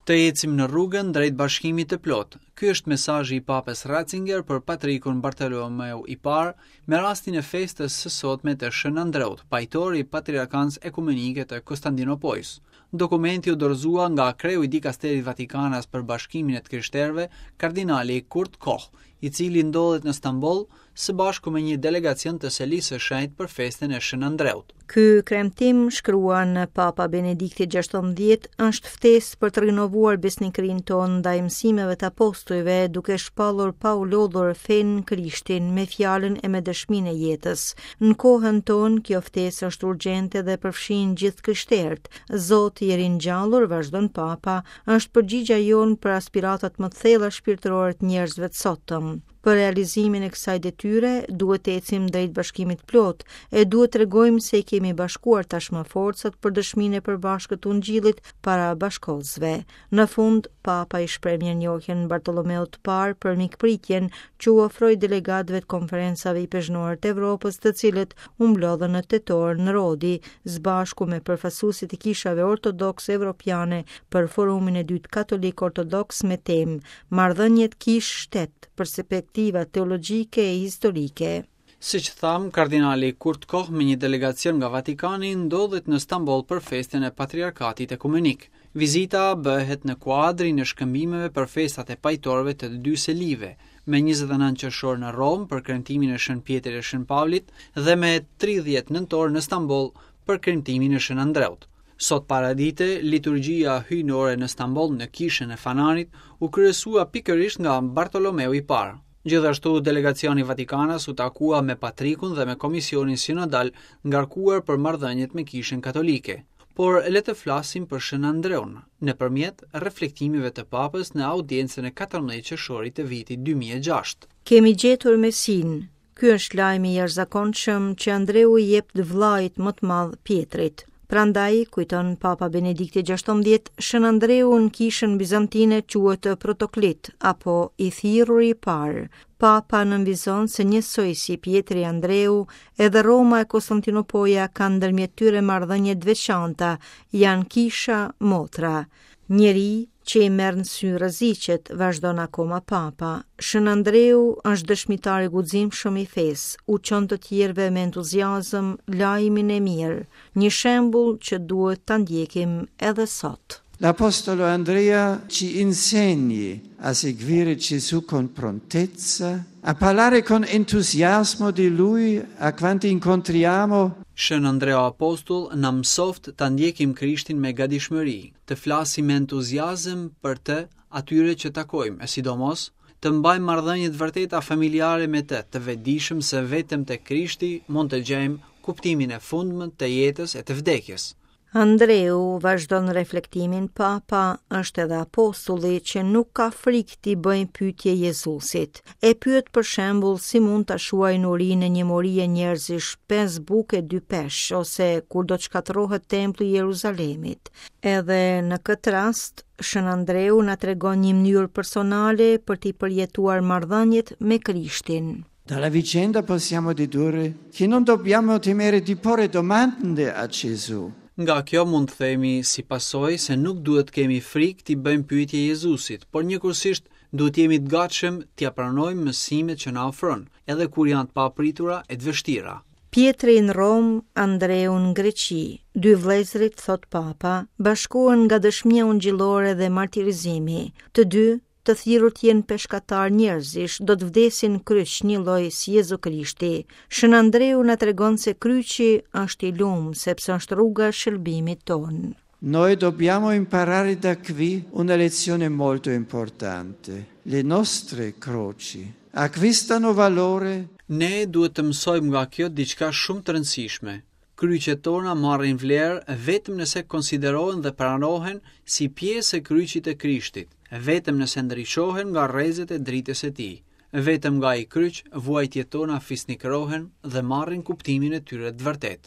Të ecim në rrugën drejt bashkimit të plotë. Ky është mesazhi i Papës Ratzinger për Patrikun Bartolomeu i Parë me rastin e festës së sotme të Shën Andreut, pajtor i Patriarkanës Ekumenike të Kostandinopojës. Dokumenti u dorëzua nga kreu i dikasterit vatikanas për bashkimin e të krishterëve, kardinali Kurt Koch, i cili ndodhet në Stamboll së bashku me një delegacion të Selisë së Shenjtë për festën e Shën Andreut. Ky kremtim, shkruan Papa Benedikti XVI, është ftesë për të rinovuar besnikërinë tonë ndaj mësimeve të apostujve, duke shpallur pa u lodhur fenë në Krishtin me fjalën e me dëshminë e jetës. Në kohën tonë, kjo ftesë është urgjente dhe përfshin gjithë krishterët. Zoti i ringjallur, vazhdon Papa, është përgjigja jonë për aspiratat më të thella shpirtërore të njerëzve të sotëm. Për realizimin e kësaj detyre, duhet të ecim drejt bashkimit të plotë e duhet të tregojmë se i kemi bashkuar tashmë forcat për dëshminë e përbashkët të Ungjillit para bashkëkohësve. Në fund, Papa i shpreh mirënjohjen Bartolomeut të Parë për mikpritjen që u ofroi delegatëve të konferencave ipeshkvnore të Evropës, të cilët u mblodhën në tetor në Rodi, së bashku me përfaqësuesit e kishave ortodokse evropiane për forumin e dytë katolik ortodoks me temë Marrëdhëniet kishë-shtet, perspektiva teologjike e historike. Siç thamë, kardinali Kurt Koch me një delegacion nga Vatikani ndodhet në Stamboll për festën e Patriarkatit Ekumenik. Vizita bëhet në kuadrin e shkëmbimeve për festat e pajtorëve të të dy selive, me 29 qershor në Romë për kremtimin e Shën Pjetrit e Shën Pavlit dhe me 30 nëntor në Stamboll për kremtimin e Shën Andreut. Sot paradite, liturgjia hyjnore në Stamboll në kishën e Fanarit u kryesua pikërisht nga Bartolomeu i Parë. Gjithashtu, delegacioni vatikanas u takua me patrikun dhe me komisionin sinodal ngarkuar për marrëdhëniet me kishën katolike. Por le të flasim për Shën Andreun, nëpërmjet reflektimeve të Papës në audiencën e 14 qershorit të vitit 2006. Kemi gjetur Mesinë, Ky është lajmi i jashtëzakonshëm që Andreu i jep të vëllait më të madh Pjetrit. Prandaj, kujton Papa Benedikti XVI, Shën Andreu në kishën bizantine quhet Protoklit apo i thirruri i parë. Papa nënvizon se njësoj si Pjetri e Andreu, edhe Roma e Konstantinopoja kanë ndërmjet tyre marrëdhënie të veçanta, janë kisha motra. Njeri që i merr në sy rreziqet, vazhdon akoma Papa. Shën Andreu është dëshmitar i guximshëm i fesë, u çon të tjerëve me entuziazëm lajmin e mirë, një shembull që duhet ta ndjekim edhe sot. L'Apostolo Andrea ci insegni a seguire Gesù con prontezza, a parlare con entusiasmo di lui a quanti incontriamo. Shën Andreu Apostull na mësoftë ta ndjekim Krishtin me gatishmëri, të flasim me entuziazëm për të atyre që takojmë, e sidomos, të mbajmë marrëdhënie të vërteta familjare me të, të vetëdijshëm se vetëm te Krishti mund të gjejmë kuptimin e fundmë të jetës e të vdekjes. Andreu, vazhdon reflektimin Papa, është edhe apostulli që nuk ka frikë t'i bëjë pyetje Jezusit. E pyet për shembull si mund ta shuajnë urinë e një morie njerëzish pesë bukë e dy peshq ose kur do të shkatërrohet tempulli i Jeruzalemit. Edhe në këtë rast, Shën Andreu na tregon një mënyrë personale për t'i përjetuar marrëdhëniet me Krishtin. Dalla vicenda possiamo dedurre che non dobbiamo temere di porre domande a Gesù. Nga kjo mund të themi si pasojë se nuk duhet të kemi frikë t'i bëjmë pyetje Jezusit, por njëkohësisht duhet të jemi të gatshëm t'ia pranojmë mësimet që na ofron, edhe kur janë të papritura e të vështira. Pjetri në Romë, Andreu në Greqi, dy vëllezërit, thotë Papa, bashkohen nga dëshmia ungjillore dhe martirizimi. Të dy Të thirrur të jenë peshkatarë njerëzish, do të vdesin në kryq njëlloj si Jezu Krishti. Shën Andreu na tregon se kryqi është i lum, sepse është rruga e shëlbimit tonë. Noi dobbiamo imparare da qui una lezione molto importante. Le nostre croci acquistano valore. Ne duhet të mësojmë nga kjo diçka shumë të rëndësishme. Kryqet tona marrin vlerë vetëm nëse konsiderohen dhe pranohen si pjesë e kryqit të Krishtit, vetëm nëse ndriçohen nga rrezet e dritës së tij. Vetëm nga ai kryq vuajtjet tona fisnikërohen dhe marrin kuptimin e tyre të vërtetë.